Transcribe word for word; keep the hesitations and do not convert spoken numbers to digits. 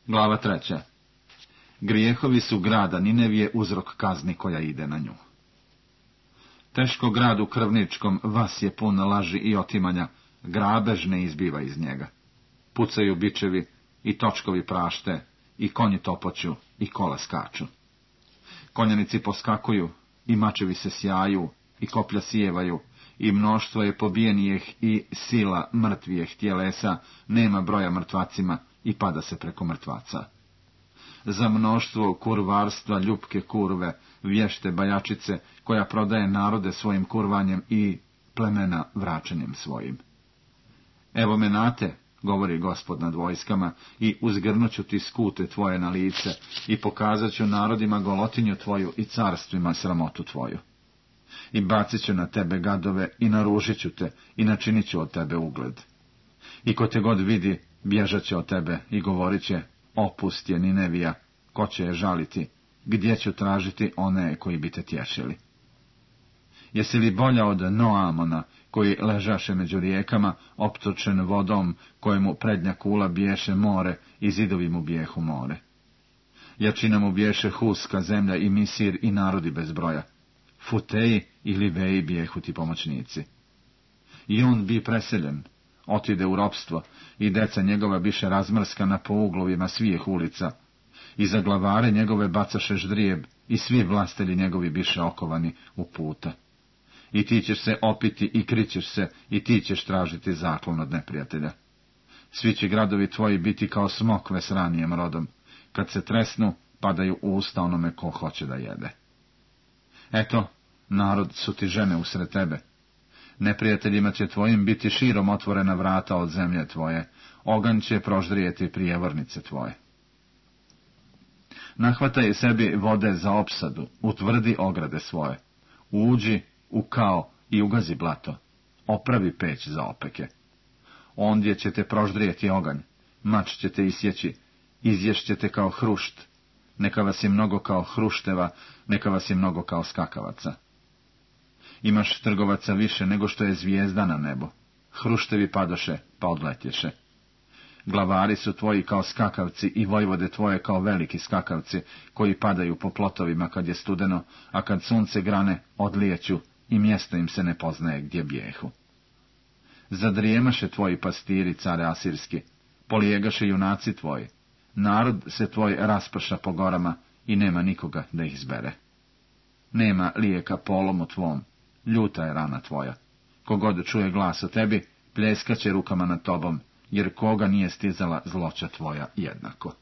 Glava treća. Grijehovi su grada Ninevije uzrok kazni koja ide na nju. Teško gradu krvničkom vas je pun laži i otimanja, grabež ne izbiva iz njega. Pucaju bičevi i točkovi prašte, i konji topoću, i kola skaču. Konjanici poskakuju, i mačevi se sjaju, i koplja sijevaju, i mnoštvo je pobijenijeh i sila mrtvijeh tjelesa, nema broja mrtvacima, i pada se preko mrtvaca. Za mnoštvo kurvarstva ljupke kurve, vješte bajačice, koja prodaje narode svojim kurvanjem i plemena vraćanjem svojim. Evo me nate, govori Gospod nad vojskama, i uzgrnuću ti skute tvoje na lice, i pokazat ću narodima golotinju tvoju i carstvima sramotu tvoju. I bacit ću na tebe gadove, i naružit ću te, i načinit ću od tebe ugled. I ko te god vidi, bježat će od tebe, i govorit će, opust je Ninevija, ko će je žaliti, gdje ću tražiti one koji bi te tješili? Jesi li bolja od Noamona, koji ležaše među rijekama, optočen vodom, kojemu prednja kula biješe more i zidovi mu bijehu more? Jačina mu biješe Huska zemlja i Misir i narodi bez broja. Futeji i Liveji bijehu ti pomoćnici. I on bi preseljen, otide u ropstvo, i deca njegova biše razmrskana po uglovima svih ulica, i za glavare njegove bacaše ždrijeb, i svi vlastelji njegovi biše okovani u puta. I ti ćeš se opiti i krićeš se, i ti ćeš tražiti zaklon od neprijatelja. Svi će gradovi tvoji biti kao smokve s ranijem rodom, kad se tresnu, padaju u usta onome ko hoće da jede. Eto, narod su ti žene usred tebe. Neprijateljima će tvojim biti širom otvorena vrata od zemlje tvoje, oganj će proždrijeti prijevornice tvoje. Nahvataj sebi vode za opsadu, utvrdi ograde svoje, uđi u kao i ugazi blato, opravi peć za opeke. Ondje će te proždrijeti oganj, mač će te isjeći, izješćete kao hrušt, neka vas je mnogo kao hrušteva, neka vas je mnogo kao skakavaca. Imaš trgovaca više nego što je zvijezda na nebo, hruštevi padoše, pa odletješe. Glavari su tvoji kao skakavci i vojvode tvoje kao veliki skakavci, koji padaju po plotovima kad je studeno, a kad sunce grane, odlijeću i mjesto im se ne poznaje gdje bijehu. Zadrijemaše tvoji pastiri, care asirski, polijegaše junaci tvoji, narod se tvoj rasprša po gorama i nema nikoga da ih zbere. Nema lijeka polomu tvom, ljuta je rana tvoja. Kogod čuje glas o tebi, pljeskaće rukama nad tobom, jer koga nije stizala zloća tvoja jednako.